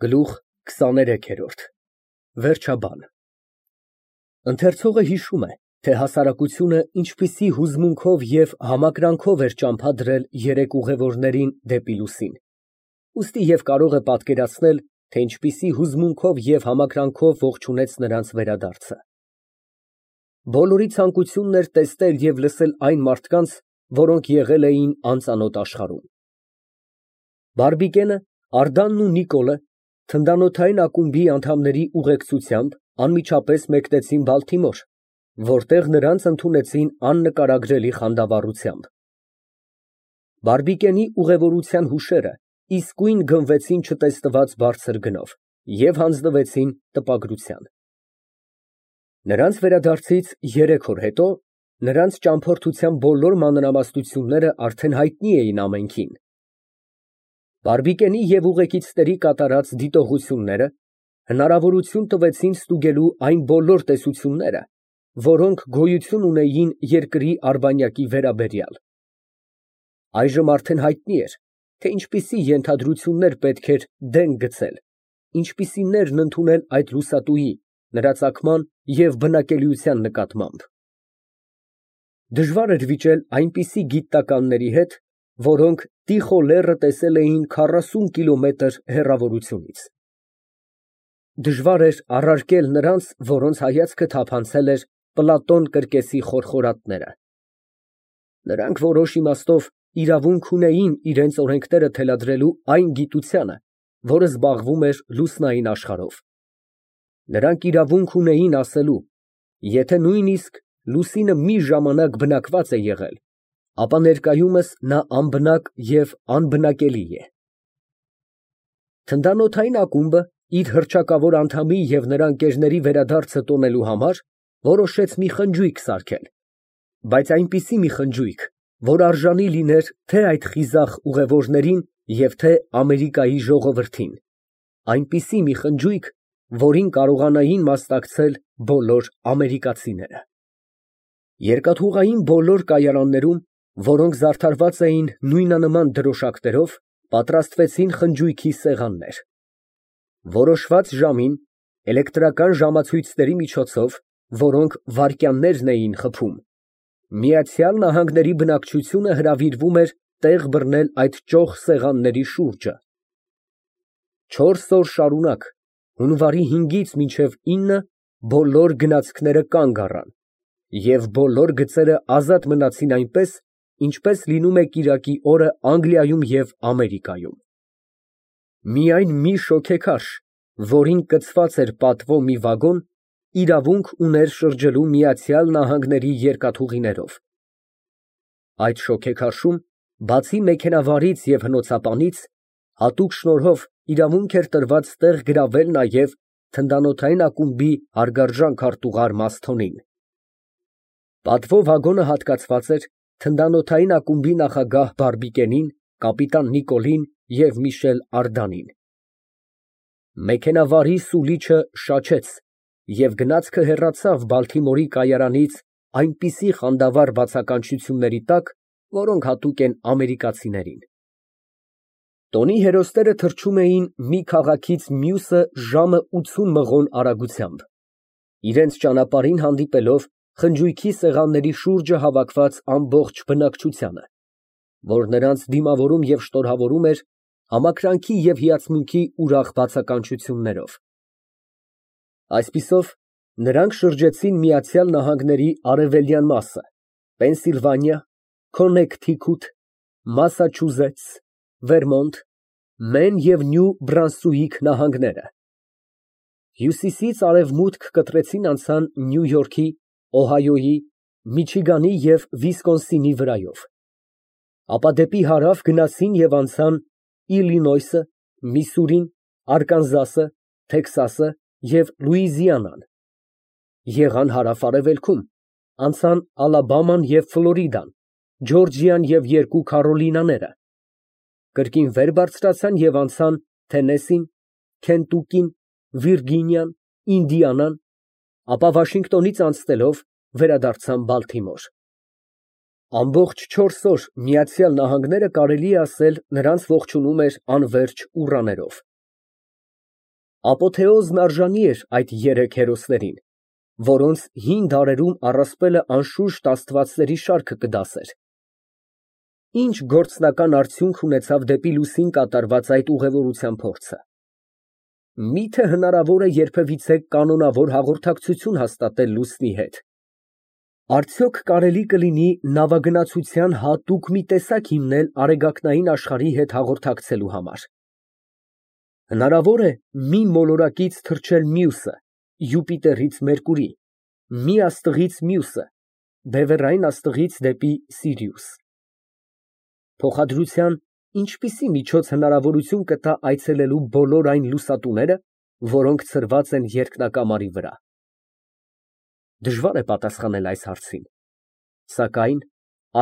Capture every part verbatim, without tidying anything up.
Գլուխ քսաներեքերորդ Վերջաբան Ընթերցողը հիշում է, թե հասարակությունը ինչպիսի հուզմունքով և համակրանքով էր ճամփա դրել երեք ուղևորներին դեպի լուսին, ուստի և կարող է պատկերացնել, թե ինչպիսի հուզմունքով և համակրանքով ողջունեց նրանց վերադարձը։ Բոլորի ցանկությունն էր տեսնել և լսել այն մարդկանց, որոնք եղել էին անծանոթ աշխարհում։ Բարբիկենը, Անդրանն ու Նիկոլը թնդանոթային ակումբի անդամների ուղեկցությամբ անմիջապես մեկնեցին Բալթիմոր, որտեղ նրանց ընդունեցին աննկարագրելի խանդավառությամբ։ Բարբիկենի ուղևորության հուշերը իսկույն գնվեցին չտեսնված բարձր գնով և հանձնվեցին տպագրության։ Նրանց վերադարձից երեք օր հետո նրանց ճամփորդության բոլոր մանրամասնությունները արդեն հայտնի էին ամենքին։ Բարբիկենի և ուղեկիցների կատարած դիտողությունները հնարավորություն տվեցին ստուգելու այն բոլոր տեսությունները, որոնք գոյություն ունեին երկրի արբանյակի վերաբերյալ։ Այժմ արդեն հայտնի էր, թե ինչպիսի ենթադրություններ պետք էր դեն գցել, ինչպիսիներն ընդունել այդ լուսատուի, նրա ծագման և բնակելիության նկատմամբ։ Դժվար էր վիճել այնպիսի գիտնականների հետ, որոնք Տիխո լեռը տեսել էին քառասուն կիլոմետր հեռավորությունից։ Դժվար էր առարկել նրանց, որոնց հայացքը թափանցել էր Պլատոն կրկեսի խորխորատները։ Նրանք որոշ իմաստով իրավունք ունեին իրենց օրենքները թելադրելու այն գիտությանը, որը զբաղվում էր լուսնային աշխարհով։ Նրանք իրավունք ունեին ասելու. եթե նույնիսկ լուսինը մի ժամանակ բնակված է եղել, ապա ներկայումս նա անբնակ և անբնակելի է։ Թնդանոթային ակումբը իր հռչակավոր անդամի և նրա ընկերների վերադարձը տոնելու համար որոշեց մի խնջույք սարքել, բայց այնպիսի մի խնջույք, որ արժանի լիներ թե այդ խիզախ ուղևորներին և թե Ամերիկայի ժողովրդին, այնպիսի մի խնջույք, որին կարողանային մասնակցել բոլոր ամերիկացիները։ Երկաթուղային բոլոր կայարաններում, որոնք զարդարված էին նույնանման դրոշակներով, պատրաստվեցին խնջույքի սեղաններ։ Որոշված ժամին, էլեկտրական ժամացույցների միջոցով, որոնք վայրկյաններն էին խփում, Միացյալ Նահանգների բնակչությունը հրավիրվում էր տեղ բռնել այդ ճոխ սեղանների շուրջը։ Չորս օր շարունակ, հունվարի հինգից մինչև ինը, բոլոր գնացքները կանգ առան, և բոլոր գծերը ազատ մնացին այնպես, ինչպես լինում է կիրակի օրը Անգլիայում և Ամերիկայում։ Միայն մի շոգեքարշ, որին կցված էր պատվո մի վագոն, իրավունք ուներ շրջելու Միացյալ Նահանգների երկաթուղիներով։ Այդ շոգեքարշում, բացի մեքենավարից և հնոցապանից, հատուկ շնորհով իրավունք էր տրված տեղ գրավել նաև թնդանոթային ակումբի հարգարժան քարտուղար Մասթոնին։ Պատվո վագոնը հատկացված էր թնդանոթային ակումբի նախագահ Բարբիկենին, կապիտան Նիկոլին և Միշել Անդրանին։ Մեքենավարի սուլիչը շաչեց, և գնացքը հեռացավ Բալթիմորի կայարանից այնպիսի խանդավառ բացականչությունների տակ, որոնք հատուկ են ամերիկացիներին։ Տոնի հերոսները թռչում էին մի քաղաքից մյուսը ժամը ութսուն մղոն արագությամբ, իրենց ճանապարհին հանդիպելով խնջույքի սեղանների շուրջը հավաքված ամբողջ բնակչությանը, որ նրանց դիմավորում և շնորհավորում էր համակրանքի և հիացմունքի ուրախ բացականչություններով։ Այսպիսով, նրանք շրջեցին Միացյալ Նահանգների արևելյան մասը, Պենսիլվանիա, Քոննեքթիքութ, Մասաչուսեթս, Վերմոնտ, Մեն և Նյու Բրանսուիկ նահանգները։ Հյուսիսից արևմուտք կտրեցին անցան Նյու Յորքի, Օհայոյի, Միչիգանի և Վիսկոնսինի վրայով, ապա դեպի հարավ գնացին և անցան Իլինոյսը, Միսսուրին, Արկանսասը, Թեքսասը և Լուիզիանան, եղան հարավ֊արևելքում, անցան Ալաբաման և Ֆլորիդան, Ջորջիան և երկու Քարոլինաները, կրկին վեր բարձրացան և անցան Թենեսին, Քենտուկին, Վիրգինիան, Ինդիանան, ապա Վաշինգտոնից անցնելով վերադարձան Բալթիմոր։ Ամբողջ չորս օր Միացյալ Նահանգները կարելի է ասել նրանց ողջունում էր անվերջ ուռաներով։ Ապոթեոզն արժանի էր այդ երեք հերոսներին, որոնց հին դարերում առասպելը անշուշտ աստվածների շարքը կդասեր։ Ինչ գործնական արդյունք ունեցավ դեպի լուսին կատարված այդ ուղևորության փորձը։ Մի՞թե հնարավոր է երբևիցե կանոնավոր հաղորդակցություն հաստատել լուսնի հետ։ Արդյոք կարելի կլինի նավագնացության հատուկ մի տեսակ հիմնել արեգակնային աշխարհի հետ հաղորդակցելու համար։ Հնարավոր է մի մոլորակից թռչել մյուսը, Յուպիտերից Մերկուրի, մի աստղից մյուսը, բևեռային աստղից դեպի Սիրիուս։ Փոխադրության ինչպիսի միջոց հնարավորություն կտա այցելելու բոլոր այն լուսատուները, որոնք ցրված են երկնակամարի վրա։ Դժվար է պատասխանել այս հարցին, սակայն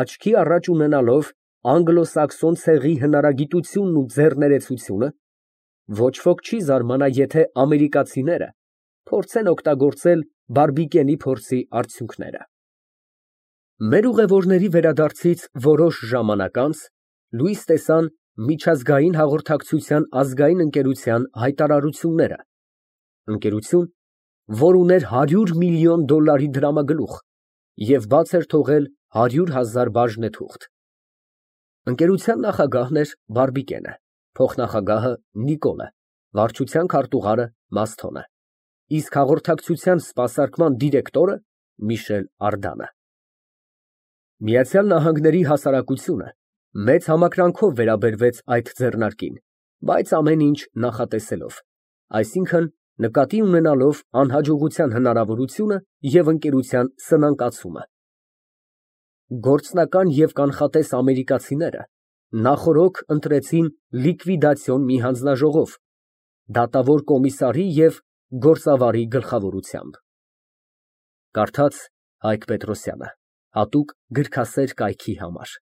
աչքի առաջ ունենալով անգլոսաքսոն ցեղի հնարագիտությունն ու ձեռներեցությունը, ոչ ոք չի զարմանա, եթե ամերիկացիները փորձեն օգտագործել Բարբիկենի փորձի արդյունքները։ Մեր ուղևորների վերադարձից որոշ ժամանակ անց լույս տեսան միջազգային հաղորդակցության ազգային ընկերության հայտարարությունները, ընկերություն, որ ուներ հարյուր միլիոն դոլարի դրամագլուխ և բաց էր թողել հարյուր հազար բաժնեթուղթ։ Ընկերության նախագահն էր Բարբիկենը, փոխնախագահը Նիկոլը, վարչության քարտուղարը Մասթոնը, իսկ հաղորդակցության սպասարկման դիրեկտորը Միշել Արդանը։ Միացյալ Նահանգների հասարակությունը մեծ համակրանքով վերաբերվեց այդ ձեռնարկին, բայց ամեն ինչ նախատեսելով, այսինքն նկատի ունենալով անհաջողության հնարավորությունը և ընկերության սնանկացումը։ Գործնական և կանխատես ամերիկացիները նախօրոք ընտրեցին լիկվիդացիոն մի հանձնաժողով, դատավոր կոմիսարի և գործավարի գլխավորությամբ։ Կարդաց Հայկ Պետրոսյանը, հատուկ գրքասեր կայքի համար։